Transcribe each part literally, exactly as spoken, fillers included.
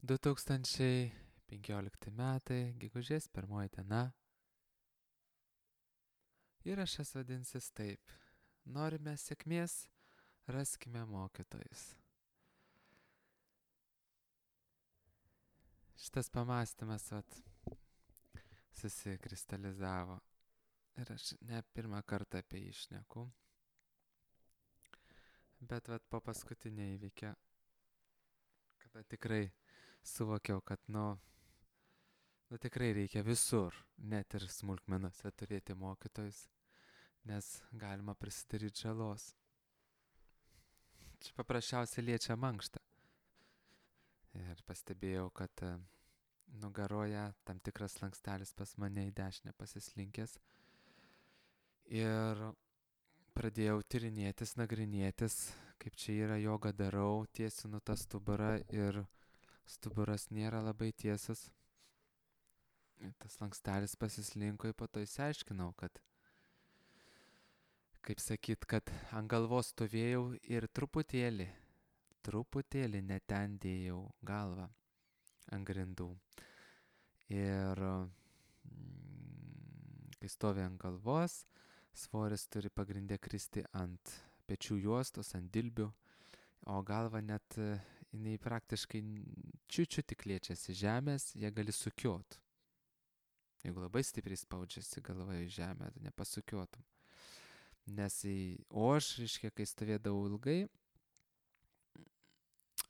du tūkstančiai penkiolikti metai, gegužės pirmoji diena. Įrašas vadinsis taip. Norime sėkmės, raskime mokytojus. Šitas pamastymas vat, susikristalizavo. Ir aš ne pirmą kartą apie jį šneku. Bet vat, po paskutinio įvykio, kada tikrai suvokiau, kad nu, nu tikrai reikia visur, net ir smulkmenose turėti mokytojus, nes galima prisidaryti žalos. Čia paprasčiausiai liečia mankštą. Ir pastebėjau, kad nugaroje tam tikras slankstelis pas mane į dešinę pasislinkęs. Ir pradėjau tyrinėtis, nagrinėtis, kaip čia yra, jogą darau, tiesinu tą stuburą ir stuburas nėra labai tiesas. Tas slankstelis pasislinko ir po to įsiaiškinau, kad, kaip sakyt, kad ant galvos stovėjau ir truputėlį, truputėlį net ten dėjau galvą ant grindų. Ir mm, kai stovi ant galvos, svoris turi pagrindę kristi ant pečių juostos, ant dilbių, o galva net, jinai praktiškai čiučiu tik liečiasi žemės, jie gali sukiot. Jeigu labai stipriai spaudžiasi galva į žemę, tu nepasukiotum. Nes į, o aš, reiškia, kai stovėdavau ilgai,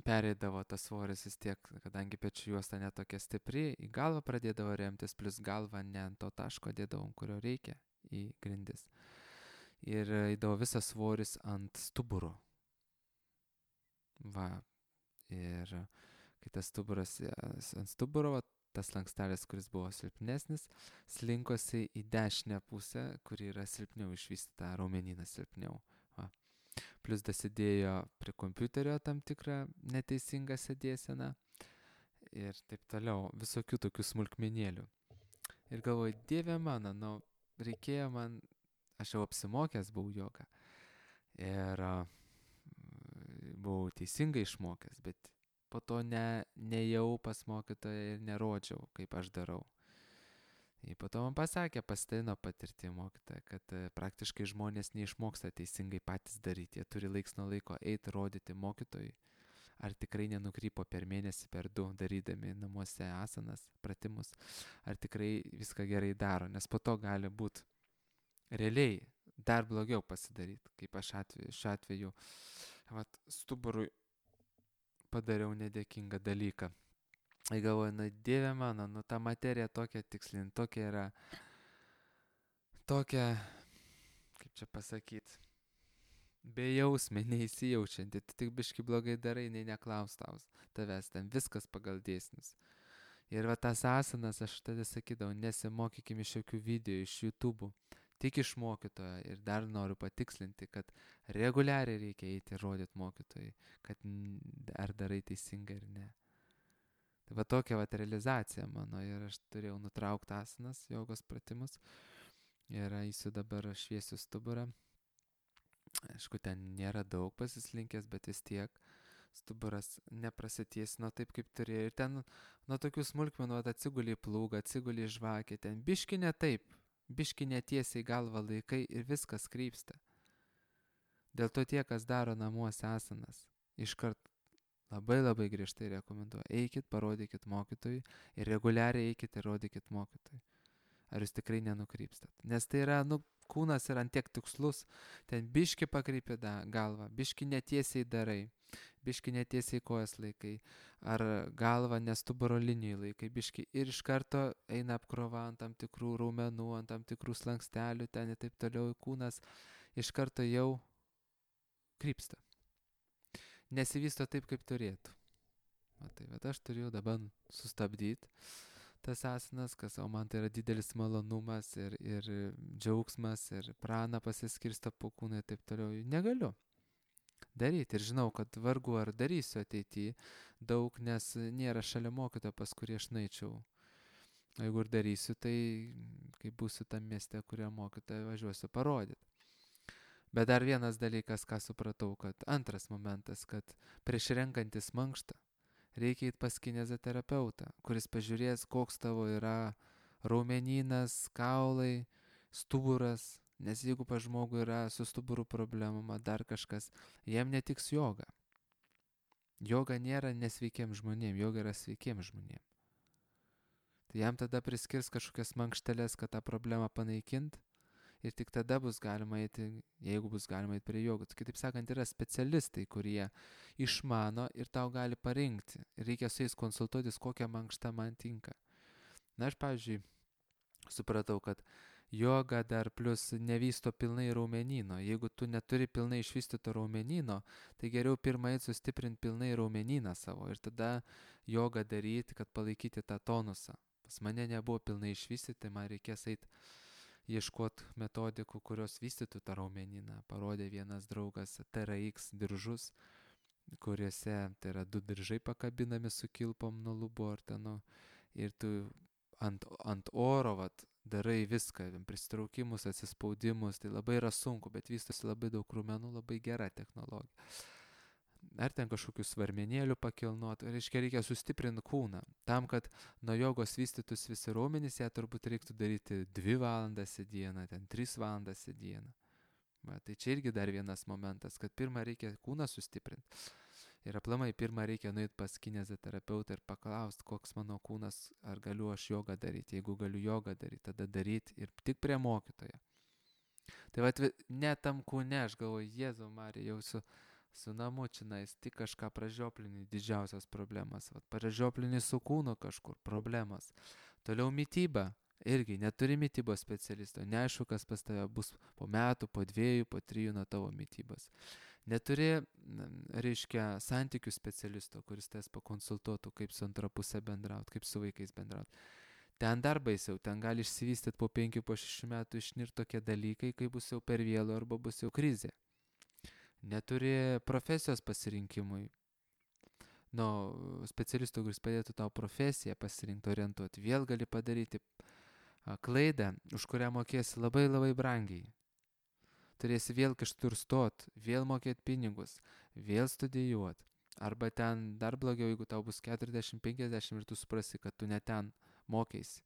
pereidavo tas svoris vis tiek, kadangi pečių juosta netokia stipri, į galvą pradėdavo remtis, plus galvą ne ant to taško dėdavau, kurio reikia, į grindis. Ir įdavo visas svoris ant stuburo. Va. Ir kai tas stuburas ant stuburo, va, tas slankstelis, kuris buvo silpnesnis, slinkosi į dešinę pusę, kuri yra silpniau išvystyta, raumenyną silpniau. Va. Plus dasidėjo prie kompiuterio tam tikrą neteisingą sėdėseną ir taip toliau, visokių tokių smulkmenėlių. Ir galvoju, Dieve mano, nu, reikėjo man, aš jau apsimokęs buvau jogą ir uh, buvau teisingai išmokęs, bet po to ne, nejau pas mokytoją ir nerodžiau, kaip aš darau. Ir po to man pasakė, pasidalino patirtį mokytoją, kad uh, praktiškai žmonės neišmoksta teisingai patys daryti, jie turi laiks nuo laiko eiti rodyti mokytojui, ar tikrai nenukrypo per mėnesį, per du, darydami namuose asanas, pratimus, ar tikrai viską gerai daro, nes po to gali būti realiai dar blogiau pasidaryti, kaip aš atveju, šiuo atveju vat, stuburui padariau nedėkingą dalyką. Ir galvoju, na Dieve mano, nu ta materija tokia tikslin, tokia yra, tokia, kaip čia pasakyti, bejausmė, neįsijaučianti, tu tik biški blogai darai, nei neklaus taus, tavęs ten viskas pagal dėsnius. Ir va tas asanas, aš tada sakydavau, nesimokykim iš jokių video, iš YouTube, tik iš mokytojo. Ir dar noriu patikslinti, kad reguliariai reikia eiti ir rodyti mokytojai, kad ar darai teisingai ar ne. Tai va tokia va realizacija mano ir aš turėjau nutraukti asanas, jogos pratimus ir eisiu dabar šviesiu stuburą. Aišku, ten nėra daug pasislinkęs, bet vis tiek stuburas neprasitiesino taip, kaip turėjo. Ir ten nuo tokių smulkmenų atsigulį plūgą, atsigulį žvakę, ten biški ne taip, biški netiesiai galvą laikai ir viskas krypsta. Dėl to tie, kas daro namuose asanas, iškart labai labai griežtai rekomenduoju. Eikit, parodykit mokytojui ir reguliariai eikit ir rodykit mokytojui. Ar jūs tikrai nenukrypstat. Nes tai yra, nu, kūnas yra ant tiek tikslus, ten biški pakrypė galvą, biški netiesiai darai, biški netiesiai kojas laikai, ar galvą nestuburo linijai laikai, biški ir iš karto eina apkrova ant tam tikrų raumenų, ant tam tikrų slankstelių, ten ir taip toliau kūnas iš karto jau krypsta. Nesivysto taip, kaip turėtų. Va, tai, bet aš turėjau dabar sustabdyti tas asanas, kas, o man tai yra didelis malonumas ir, ir džiaugsmas ir prana pasiskirsta po kūną ir taip toliau. Negaliu daryti ir žinau, kad vargu ar darysiu ateityje daug, nes nėra šalia mokytojo, pas kurį aš naičiau. O jeigu ir darysiu, tai kai būsiu tam mieste, kurio mokytoją važiuosiu parodyti. Bet dar vienas dalykas, ką supratau, kad antras momentas, kad prieš renkantis mankštą reikia eiti pas kineziterapeutą, kuris pažiūrės, koks tavo yra raumenynas, kaulai, stuburas, nes jeigu pas žmogų yra su stuburu problemama, dar kažkas, jam netiks joga. Joga nėra nesveikiem žmonėm, joga yra sveikiem žmonėm. Tai jam tada priskirs kažkokias mankšteles, kad tą problemą panaikint ir tik tada bus galima eiti, jeigu bus galima eiti prie jogos. Kitaip sakant, yra specialistai, kurie išmano ir tau gali parinkti. Ir reikia su jais konsultuotis, kokia mankšta man tinka. Na, aš, pavyzdžiui, supratau, kad joga dar plus nevysto pilnai raumenyno. Jeigu tu neturi pilnai išvystyto raumenyno, tai geriau pirmai sustiprinti pilnai raumenyną savo ir tada jogą daryti, kad palaikyti tą tonusą. Pas mane nebuvo pilnai išvystyti, tai man reikės eiti ieškoti metodikų, kurios vystytų tą raumenyną. Parodė vienas draugas T R X diržus, kuriuose tai yra du diržai pakabinami su kilpom nuo lubų ar ten, ir tu ant, ant oro vat, darai viską, pristraukimus, atsispaudimus, tai labai yra sunku, bet vystosi labai daug raumenų, labai gera technologija. Ar ten kažkokių svarmenėlių pakilnuot, reiškia reikia sustiprinti kūną. Tam, kad nuo jogos vystytus visi raumenys, ją turbūt reiktų daryti dvi valandas į dieną, ten tris valandas į dieną. Va, tai čia irgi dar vienas momentas, kad pirmą reikia kūną sustiprinti. Ir aplamai pirmą reikia nueiti pas kineziterapeutą ir paklausti, koks mano kūnas, ar galiu aš jogą daryti. Jeigu galiu jogą daryti, tada daryti ir tik prie mokytojo. Tai va, ne tam kūne, aš galvoju, Jėzau Marija, jau su, su namučinais tik kažką pražioplini, didžiausias problemas. Va, pražioplini su kūnu kažkur, problemas. Toliau mytyba. Irgi neturi mytybos specialisto, neaišku, kas pas tave bus po metų, po dviejų, po trijų nuo tavo mytybos. Neturi, reiškia, santykių specialisto, kuris tas pakonsultuotų, kaip su antra pusė bendrauti, kaip su vaikais bendrauti. Ten dar baisiau, ten gali išsivystyti po penkių, po šešių metų išnirti tokie dalykai, kai bus jau per vėlu arba bus jau krizė. Neturi profesijos pasirinkimui. Nu, specialistų, kuris padėtų tau profesiją pasirinkti, orientuoti, vėl gali padaryti klaidą, už kurią mokėsi labai labai brangiai. Turėsi vėl kažkur stot, vėl mokėti pinigus, vėl studijuoti. Arba ten dar blogiau, jeigu tau bus keturiasdešimt penkiasdešimt ir tu suprasi, kad tu ne ten mokėsi.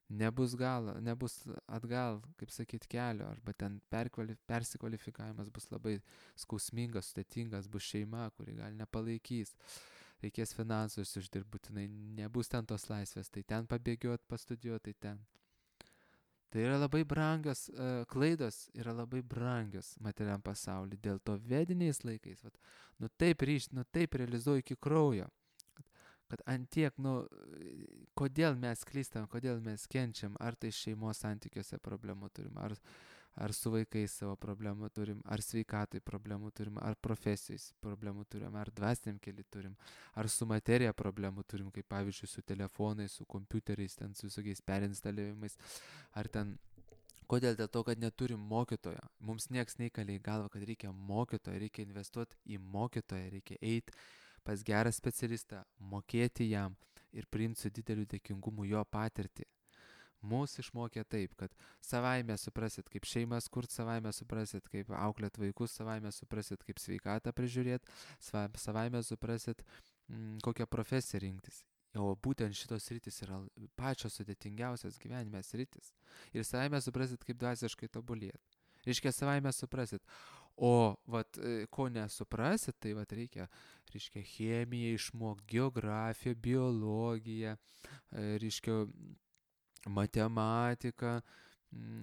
Nebus gal, nebus atgal, kaip sakyti, kelio, arba ten persikvalifikavimas bus labai skausmingas, sudėtingas, bus šeima, kuri gal nepalaikys. Reikės finansus uždirbti, būtinai nebus ten tos laisvės, tai ten pabėgiot, pastudijuoti, tai ten. Tai yra labai brangios, uh, klaidos yra labai brangios materialiam pasauliu. Dėl to vediniais laikais, vat, nu taip ryšt, nu taip realizuoju iki kraujo. Kad, kad antiek, nu, kodėl mes klystam, kodėl mes kenčiam, ar tai šeimos santykiuose problemų turim, ar, ar su vaikais savo problemų turim, ar sveikatai problemų turim, ar profesijais problemų turim, ar dvasiniam keli turim, ar su materija problemų turim, kaip pavyzdžiui su telefonais, su kompiuteriais, ten su visokiais perinstalavimais, ar ten, kodėl dėl to, kad neturim mokytojo. Mums nieks neįkalė į galvą, kad reikia mokytojo, reikia investuoti į mokytoją, reikia eiti pas gerą specialistą, mokėti jam ir priimti su dideliu dėkingumu jo patirtį. Mūsų išmokė taip, kad savaime suprasit, kaip šeimas kurt, savaime suprasit, kaip auklėt vaikus, savaime suprasit, kaip sveikatą prižiūrėt, savaime suprasit, m, kokią profesiją rinktis. O būtent šitos sritis yra pačios sudėtingiausias gyvenime sritis. Ir savaime suprasit, kaip dvasiškai tobulėt. Reiškia, savaime suprasit. O vat, ko nesuprasit, tai vat reikia, reiškia, chemiją išmokti, geografiją, biologiją, reiškia, matematika,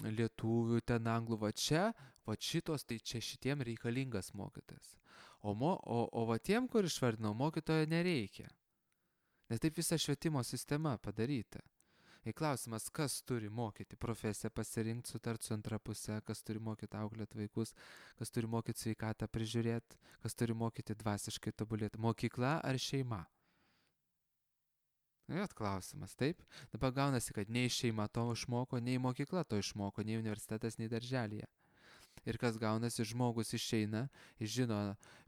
lietuvių, ten anglų, va čia, va šitos, tai čia šitiem reikalingas mokytojas. O, mo, o, o va tiem, kur išvardinau, mokytojo nereikia. Nes taip visa švietimo sistema padaryta. Ir klausimas, kas turi mokyti profesiją pasirinkti, sutart su antra pusė, kas turi mokyti auklėti vaikus, kas turi mokyti sveikatą prižiūrėti, kas turi mokyti dvasiškai tobulėti, mokykla ar šeima? Jot klausimas, taip? Dabar gaunasi, kad nei šeima to išmoko, nei mokykla to išmoko, nei universitetas, nei darželėje. Ir kas gaunasi, žmogus išeina, jis žino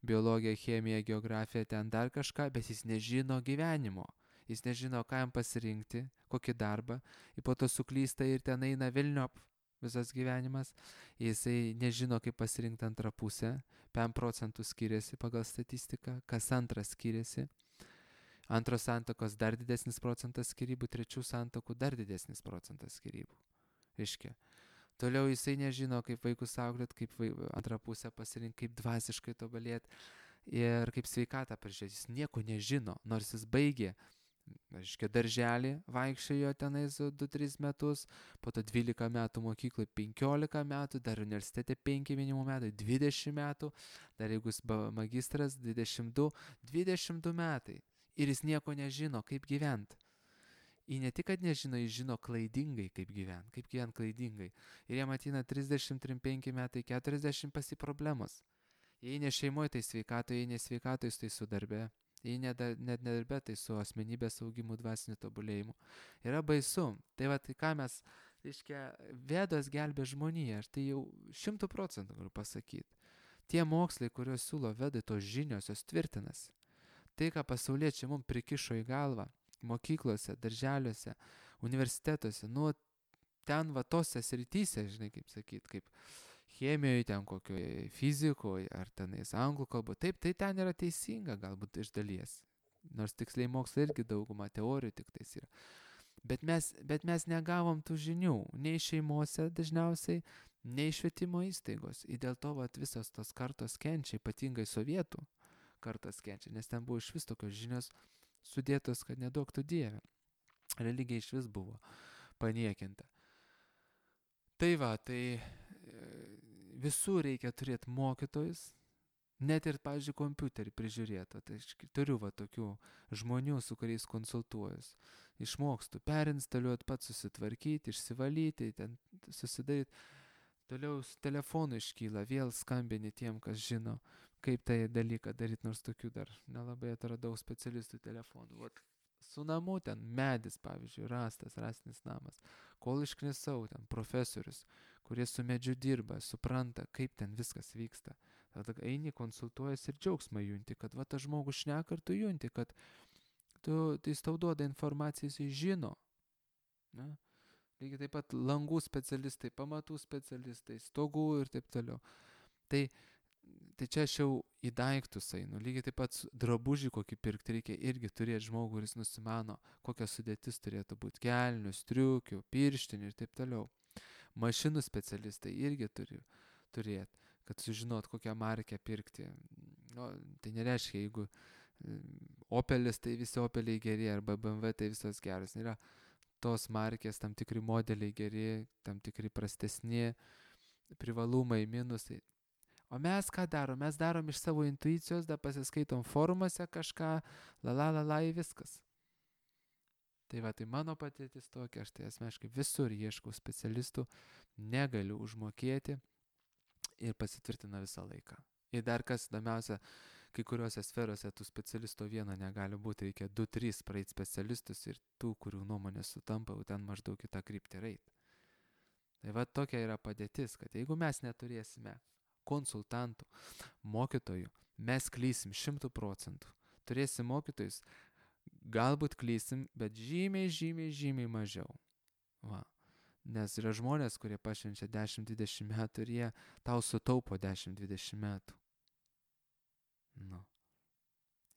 biologiją, chemiją, geografiją, ten dar kažką, bet jis nežino gyvenimo. Jis nežino, ką jam pasirinkti, kokį darbą, ir po to suklysta ir ten eina velniop visas gyvenimas. Jisai nežino, kaip pasirinkti antrą pusę, penkiasdešimt procentų skiriasi pagal statistiką, kas antras skiriasi. Antros santuokos dar didesnis procentas skyrybų, trečių santuokų dar didesnis procentas skyrybų. Reiškia. Toliau jisai nežino, kaip vaikus auklėt, kaip vai, antrą pusę pasirinkti, kaip dvasiškai tobulėti ir kaip sveikatą prižiūrėti. Jis nieko nežino, nors jis baigė, reiškia, darželį, vaikščiojo tenais du tris metus, po to dvylika metų mokykloje, penkiolika metų, dar universitete penki minimum metai, dvidešimt metų, dar jeigu jis magistras, dvidešimt du, dvidešimt du metai. Ir jis nieko nežino, kaip gyventi. Jis ne tik, kad nežino, jis žino klaidingai, kaip gyventi, kaip gyventi klaidingai. Ir jam ateina trisdešimt penki metai, keturiasdešimt pasi problemos. Jei ne šeimoje, tai sveikatoje, jei ne sveikatoje, tai su darbe. Jei net nedarbe, tai su asmenybės augimu, dvasiniu tobulėjimu. Yra baisu. Tai va, tai ką mes, reiškia, Vedos gelbė žmoniją, aš tai jau šimtų procentų galiu pasakyti. Tie mokslai, kuriuos siūlo Vedai, tos žinios, jos tvirtinasi. Tai, ką pasauliečiai mums prikišo į galvą, mokyklose, darželiuose, universitetuose, nu, ten va tose srityse, žinai, kaip sakyti, kaip chemijoje, ten kokioje fizikoje, ar tenais anglų kalbo. Taip, tai ten yra teisinga, galbūt iš dalies. Nors tiksliai mokslai irgi dauguma teorijų tik tais yra. Bet mes, bet mes negavom tų žinių, nei šeimose dažniausiai, nei švietimo įstaigos. Ir dėl to vat, visos tos kartos kenčia, ypatingai sovietų kartos kenčia, nes ten buvo iš vis tokios žinios sudėtos, kad nedaug tų dievė. Religija iš vis buvo paniekinta. Tai va, tai visur reikia turėti mokytojus, net ir, pavyzdžiui, kompiuterį prižiūrėti. Tai aš turiu va tokių žmonių, su kuriais konsultuojuos. Išmokstu perinstaliuoti, pats susitvarkyti, išsivalyti, ten susidaryti. Toliau su telefonu iškyla, vėl skambini tiem, kas žino, kaip tai dalyką daryti, nors tokių dar nelabai atradau specialistų telefonų. Vat su namu ten medis, pavyzdžiui, rastas, rastinis namas. Kol išknisau, ten profesorius, kurie su medžiu dirba, supranta, kaip ten viskas vyksta. Tada eini, konsultuojas ir džiaugsmą junti, kad va tas žmogus šneka ir tu junti, kad tu, tai jis tau duoda informaciją, jis žino. Ne? Lygiai taip pat langų specialistai, pamatų specialistai, stogų ir taip toliau. Tai Tai čia aš jau į daiktus einu. Lygiai taip pat drabužį kokį pirkti reikia irgi turėti žmogų, kuris nusimano, kokia sudėtis turėtų būti kelnių, striukių, pirštinių ir taip toliau. Mašinų specialistai irgi turi turėti, kad sužinot, kokią markę pirkti. No, tai nereiškia, jeigu Opelis, tai visi Opeliai geri, arba B M W, tai visos geros. Yra tos markės, tam tikri modeliai geri, tam tikri prastesni, privalumai, minusai. O mes ką darom? Mes darom iš savo intuicijos, da pasiskaitom forumuose kažką, la la la la į viskas. Tai va, tai mano patirtis tokia, aš tai asmeniškai visur ieškau specialistų, negaliu užmokėti ir pasitvirtina visą laiką. Ir dar kas įdomiausia, kai kuriuose sferose tų specialistų vieno negali būti, reikia du trys praeit specialistus ir tų, kurių nuomonės sutampa, jau ten maždaug kitą kryptį reit. Tai va tokia yra padėtis, kad jeigu mes neturėsime konsultantų, mokytojų, mes klysim šimtų procentų. Turėsim mokytojus, galbūt klysim, bet žymiai, žymiai, žymiai mažiau. Va. Nes yra žmonės, kurie pašvenčia dešimt dvidešimt metų ir jie tau sutaupo dešimt dvidešimt metų. Nu.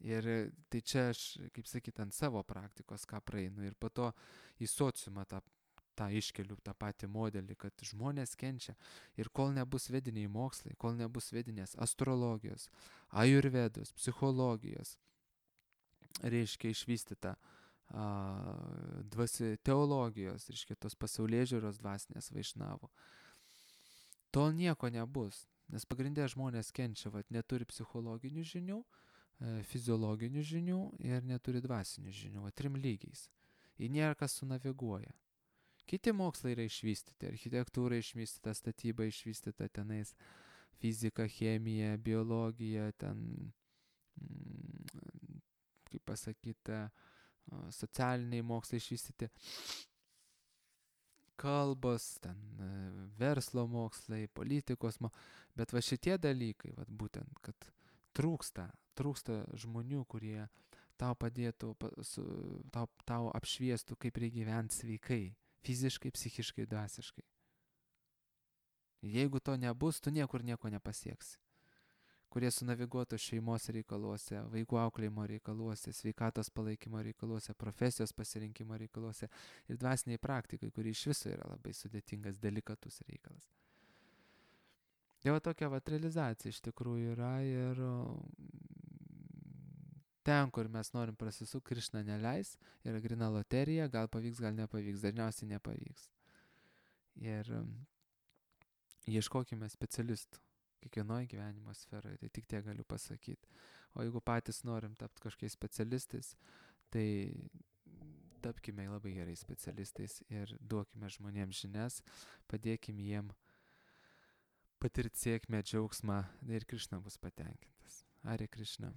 Ir tai čia aš, kaip sakyt, ant savo praktikos ką praeinu ir po to į sociumą tą tą iškeliu, tą patį modelį, kad žmonės kenčia. Ir kol nebus vediniai mokslai, kol nebus vedinės astrologijos, ajurvedos, psichologijos, reiškia išvystyta a, dvasi, teologijos, reiškia tos pasaulėžiūros dvasinės vaišnavo, tol nieko nebus. Nes pagrindė žmonės kenčia, vat, neturi psichologinių žinių, e, fiziologinių žinių ir neturi dvasinių žinių, vat, trim lygiais. Ir nėra kas sunaviguoja. Kiti mokslai yra išvystyti, architektūra išvystyta, statyba išvystyta, tenais fizika, chemija, biologija, ten, kaip pasakyta, socialiniai mokslai išvystyti, kalbos, ten verslo mokslai, politikos mokslai, bet va šitie dalykai, va būtent, kad trūksta, trūksta žmonių, kurie tau padėtų, tau, tau apšviestų, kaip reikia gyventi sveikai. Fiziškai, psichiškai, dvasiškai. Jeigu to nebus, tu niekur nieko nepasieksi. kurie sunaviguotų šeimos reikaluose, vaikų auklėjimo reikaluose, sveikatos palaikymo reikaluose, profesijos pasirinkimo reikaluose ir dvasiniai praktikai, kuri iš viso yra labai sudėtingas, delikatus reikalas. Tai va tokia va realizacija iš tikrųjų yra ir ten, kur mes norim prasisukti, Krišna neleis, yra grina loterija, gal pavyks, gal nepavyks, dažniausiai nepavyks. Ir ieškokime specialistų kiekvienoje gyvenimo sferoje, tai tik tiek galiu pasakyti. O jeigu patys norim tapti kažkokiais specialistais, tai tapkime labai gerai specialistais ir duokime žmonėms žinias, padėkime jiem patirti sėkmę, džiaugsmą ir Krišna bus patenkintas. Hare Krišna.